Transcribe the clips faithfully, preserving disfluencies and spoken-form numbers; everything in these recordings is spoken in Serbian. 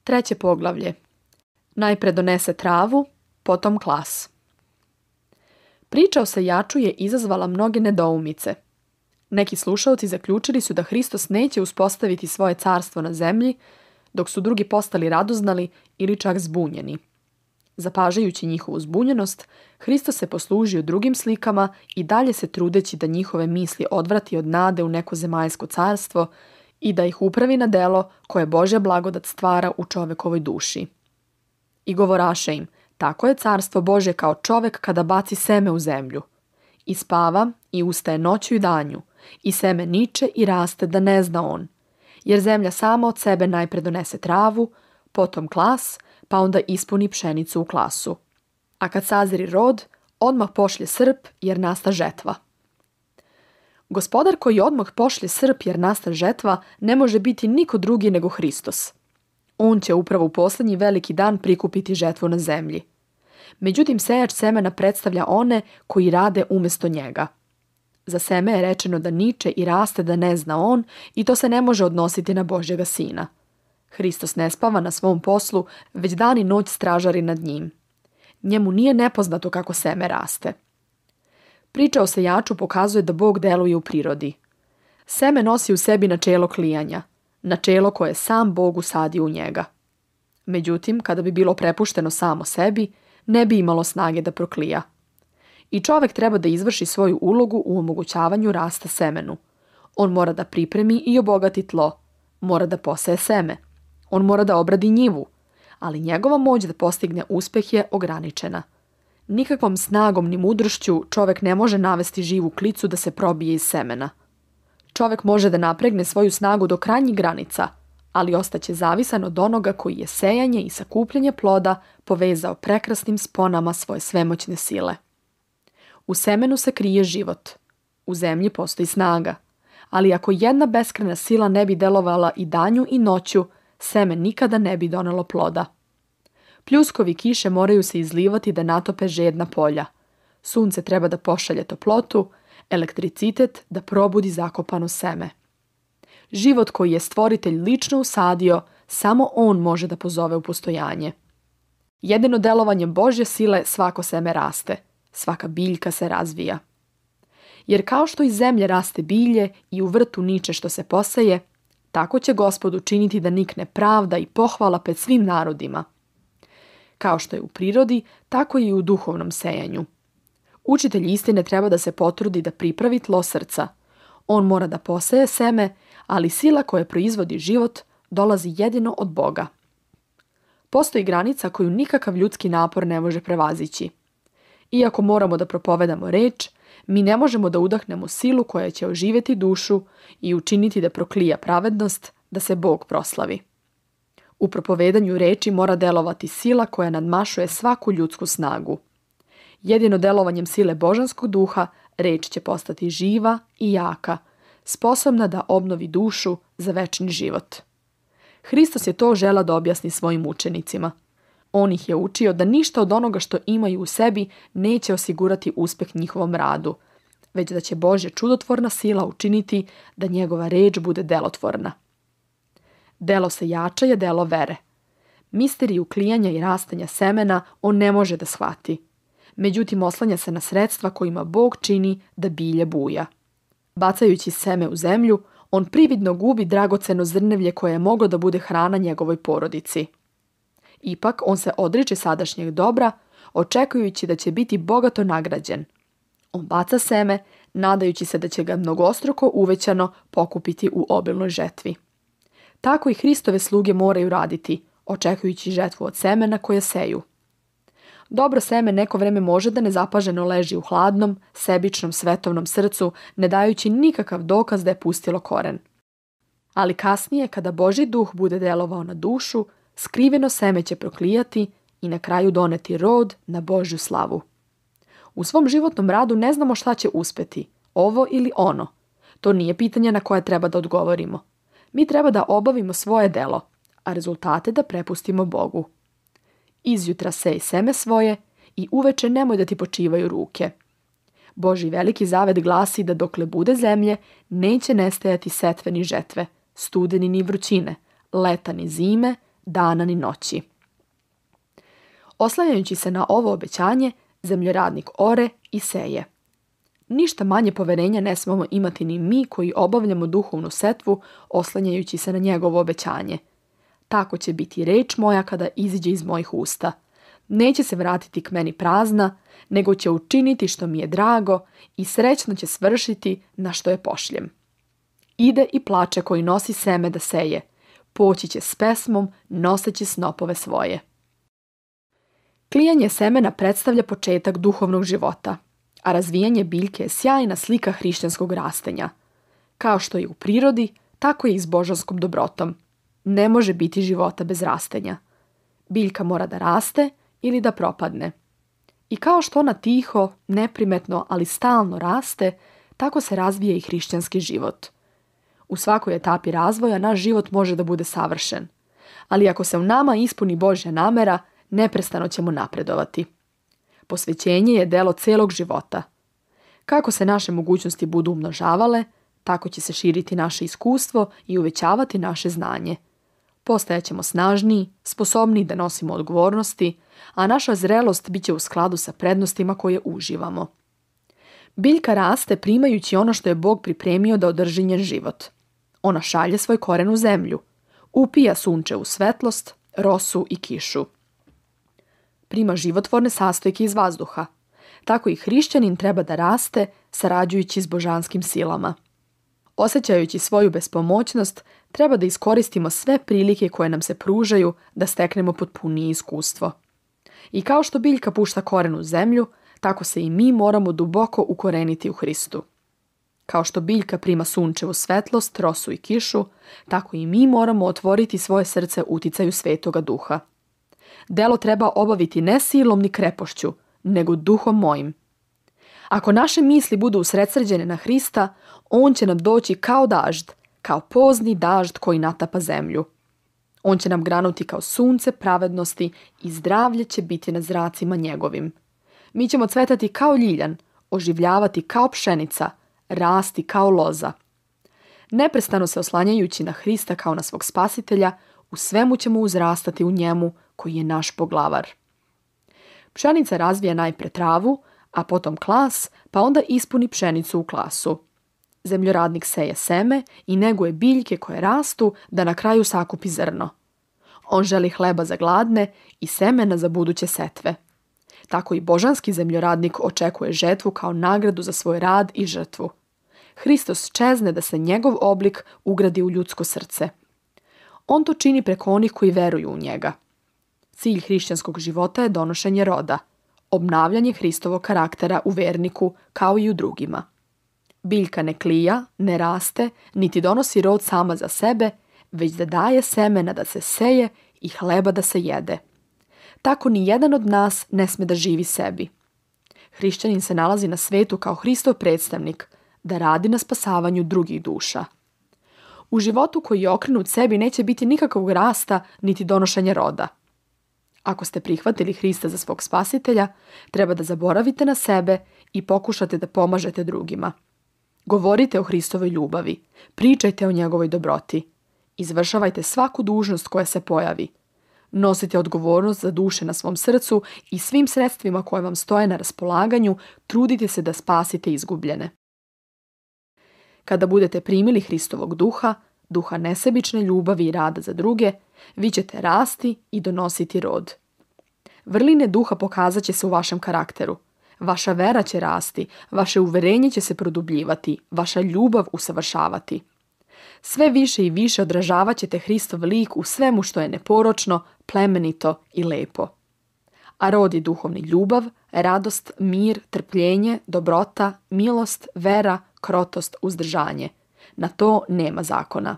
Treće poglavlje. Najpre donese travu, potom klas. Priča o sejaču je izazvala mnoge nedoumice. Neki slušaoci zaključili su da Hristos neće uspostaviti svoje carstvo na zemlji, dok su drugi postali radoznali ili čak zbunjeni. Zapažajući njihovu zbunjenost, Hristos se poslužio drugim slikama i dalje se trudeći da njihove misli odvrati od nade u neko zemaljsko carstvo i da ih upravi na delo koje Božja blagodat stvara u čovekovoj duši. I govoraše im, tako je carstvo Božje kao čovek kada baci seme u zemlju. I spava i ustaje noću i danju, i seme niče i raste da ne zna on. Jer zemlja sama od sebe najpre donese travu, potom klas, pa onda ispuni pšenicu u klasu. A kad sazri rod, odmah pošlje srp jer nasta žetva. Gospodar koji odmah pošlje srp jer nasta žetva ne može biti niko drugi nego Hristos. On će upravo u posljednji veliki dan prikupiti žetvu na zemlji. Međutim, sejač semena predstavlja one koji rade umjesto njega. Za seme je rečeno da niče i raste da ne zna on i to se ne može odnositi na Božjega sina. Hristos ne spava na svom poslu, već dan i noć stražari nad njim. Njemu nije nepoznato kako seme raste. Priča o sejaču pokazuje da Bog deluje u prirodi. Seme nosi u sebi načelo klijanja, načelo koje sam Bog usadio u njega. Međutim, kada bi bilo prepušteno samo sebi, ne bi imalo snage da proklija. I čovek treba da izvrši svoju ulogu u omogućavanju rasta semenu. On mora da pripremi i obogati tlo, mora da poseje seme, on mora da obradi njivu, ali njegova moć da postigne uspeh je ograničena. Nikakvom snagom ni mudrošću čovek ne može navesti živu klicu da se probije iz semena. Čovek može da napregne svoju snagu do krajnjih granica, ali ostaće zavisan od onoga koji je sejanje i sakupljanje ploda povezao prekrasnim sponama svoje svemoćne sile. U semenu se krije život. U zemlji postoji snaga. Ali ako jedna beskrajna sila ne bi delovala i danju i noću, seme nikada ne bi donelo ploda. Pljuskovi kiše moraju se izlivati da natope žedna polja. Sunce treba da pošalje toplotu, elektricitet da probudi zakopano seme. Život koji je stvoritelj lično usadio, samo on može da pozove u postojanje. Jedino delovanjem Božje sile svako seme raste, svaka biljka se razvija. Jer kao što iz zemlje raste bilje i u vrtu niče što se poseje, tako će Gospod učiniti da nikne pravda i pohvala pred svim narodima. Kao što je u prirodi, tako i u duhovnom sejanju. Učitelj istine treba da se potrudi da pripravi tlo srca. On mora da poseje seme, ali sila koja proizvodi život dolazi jedino od Boga. Postoji granica koju nikakav ljudski napor ne može prevazići. Iako moramo da propovedamo reč, mi ne možemo da udahnemo silu koja će oživjeti dušu i učiniti da proklija pravednost, da se Bog proslavi. U propovedanju reči mora delovati sila koja nadmašuje svaku ljudsku snagu. Jedino delovanjem sile božanskog duha reč će postati živa i jaka, sposobna da obnovi dušu za večni život. Hristos je to želeo da objasni svojim učenicima. On ih je učio da ništa od onoga što imaju u sebi neće osigurati uspeh njihovom radu, već da će Božja čudotvorna sila učiniti da njegova reč bude delotvorna. Delo sejača je delo vere. Misteriju klijanja i rastanja semena on ne može da shvati. Međutim, oslanja se na sredstva kojima Bog čini da bilje buja. Bacajući seme u zemlju, on prividno gubi dragoceno zrnevlje koje je moglo da bude hrana njegovoj porodici. Ipak, on se odriče sadašnjeg dobra, očekujući da će biti bogato nagrađen. On baca seme, nadajući se da će ga mnogostruko uvećano pokupiti u obilnoj žetvi. Tako i Hristove sluge moraju raditi, očekujući žetvu od semena koje seju. Dobro seme neko vreme može da nezapaženo leži u hladnom, sebičnom, svetovnom srcu, ne dajući nikakav dokaz da je pustilo koren. Ali kasnije, kada Božji duh bude delovao na dušu, skriveno seme će proklijati i na kraju doneti rod na Božju slavu. U svom životnom radu ne znamo šta će uspeti, ovo ili ono. To nije pitanje na koje treba da odgovorimo. Mi treba da obavimo svoje delo, a rezultate da prepustimo Bogu. Izjutra sej seme svoje i uveče nemoj da ti počivaju ruke. Božji veliki zavet glasi da dokle bude zemlje, neće nestajati setve ni žetve, studeni ni vrućine, leta ni zime, dana ni noći. Oslanjajući se na ovo obećanje, zemljoradnik ore i seje. Ništa manje poverenja ne smemo imati ni mi koji obavljamo duhovnu setvu oslanjajući se na njegovo obećanje. Tako će biti reč moja kada iziđe iz mojih usta. Neće se vratiti k meni prazna, nego će učiniti što mi je drago i srećno će svršiti na što je pošljem. Ide i plače koji nosi seme da seje. Poći će s pesmom, noseći snopove svoje. Klijanje semena predstavlja početak duhovnog života, a razvijanje biljke je sjajna slika hrišćanskog rastenja. Kao što je u prirodi, tako je i s božanskom dobrotom. Ne može biti života bez rastenja. Biljka mora da raste ili da propadne. I kao što ona tiho, neprimetno, ali stalno raste, tako se razvija i hrišćanski život. U svakoj etapi razvoja naš život može da bude savršen. Ali ako se u nama ispuni Božja namera, neprestano ćemo napredovati. Posvećenje je delo celog života. Kako se naše mogućnosti budu umnožavale, tako će se širiti naše iskustvo i uvećavati naše znanje. Postajaćemo snažniji, sposobniji da nosimo odgovornosti, a naša zrelost bit će u skladu sa prednostima koje uživamo. Biljka raste primajući ono što je Bog pripremio da održi njen život. Ona šalje svoj koren u zemlju, upija sunčevu svetlost, rosu i kišu. Prima životvorne sastojke iz vazduha. Tako i hrišćanin treba da raste sarađujući s božanskim silama. Osjećajući svoju bespomoćnost, treba da iskoristimo sve prilike koje nam se pružaju da steknemo potpunije iskustvo. I kao što biljka pušta koren u zemlju, tako se i mi moramo duboko ukoreniti u Hristu. Kao što biljka prima sunčevu svetlost, rosu i kišu, tako i mi moramo otvoriti svoje srce uticaju Svetoga Duha. Delo treba obaviti ne silom ni krepošću, nego duhom mojim. Ako naše misli budu usredsređene na Hrista, on će nam doći kao dažd, kao pozni dažd koji natapa zemlju. On će nam granuti kao sunce pravednosti i zdravlje će biti na zracima njegovim. Mi ćemo cvetati kao ljiljan, oživljavati kao pšenica, rasti kao loza. Neprestano se oslanjajući na Hrista kao na svog spasitelja, u svemu ćemo uzrastati u njemu koji je naš poglavar. Pšenica razvija najpre travu, a potom klas, pa onda ispuni pšenicu u klasu. Zemljoradnik seje seme i neguje biljke koje rastu da na kraju sakupi zrno. On želi hleba za gladne i semena za buduće setve. Tako i božanski zemljoradnik očekuje žetvu kao nagradu za svoj rad i žrtvu. Hristos čezne da se njegov oblik ugradi u ljudsko srce. On to čini preko onih koji veruju u njega. Cilj hrišćanskog života je donošenje roda, obnavljanje Hristovog karaktera u verniku kao i u drugima. Biljka ne klija, ne raste, niti donosi rod sama za sebe, već da daje semena da se seje i hleba da se jede. Tako ni jedan od nas ne sme da živi sebi. Hrišćanin se nalazi na svetu kao Hristov predstavnik, da radi na spasavanju drugih duša. U životu koji je okrenut sebi neće biti nikakvog rasta niti donošenja roda. Ako ste prihvatili Hrista za svog spasitelja, treba da zaboravite na sebe i pokušate da pomažete drugima. Govorite o Hristovoj ljubavi, pričajte o njegovoj dobroti. Izvršavajte svaku dužnost koja se pojavi. Nosite odgovornost za duše na svom srcu i svim sredstvima koje vam stoje na raspolaganju trudite se da spasite izgubljene. Kada budete primili Hristovog duha, duha nesebične ljubavi i rada za druge, vi ćete rasti i donositi rod. Vrline duha pokazat će se u vašem karakteru. Vaša vera će rasti, vaše uverenje će se produbljivati, vaša ljubav usavršavati. Sve više i više odražavat ćete Hristov lik u svemu što je neporočno, plemenito i lepo. A rod je duhovni ljubav, radost, mir, trpljenje, dobrota, milost, vera, krotost, uzdržanje. Na to nema zakona.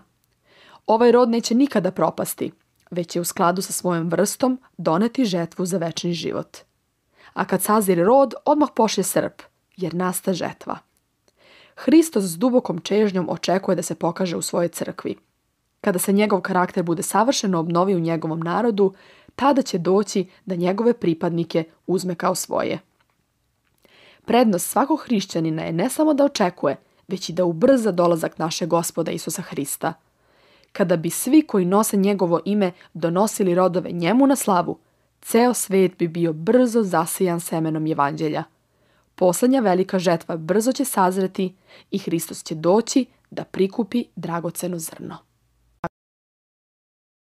Ovaj rod neće nikada propasti, već će u skladu sa svojom vrstom doneti žetvu za večni život. A kad sazire rod, odmah pošlje srp, jer nasta žetva. Hristos s dubokom čežnjom očekuje da se pokaže u svojoj crkvi. Kada se njegov karakter bude savršeno obnovi u njegovom narodu, tada će doći da njegove pripadnike uzme kao svoje. Prednost svakog hrišćanina je ne samo da očekuje, već i da ubrza dolazak našeg Gospoda Isusa Hrista. Kada bi svi koji nose njegovo ime donosili rodove njemu na slavu, ceo svet bi bio brzo zasijan semenom evanđelja. Poslednja velika žetva brzo će sazreti i Hristos će doći da prikupi dragoceno zrno.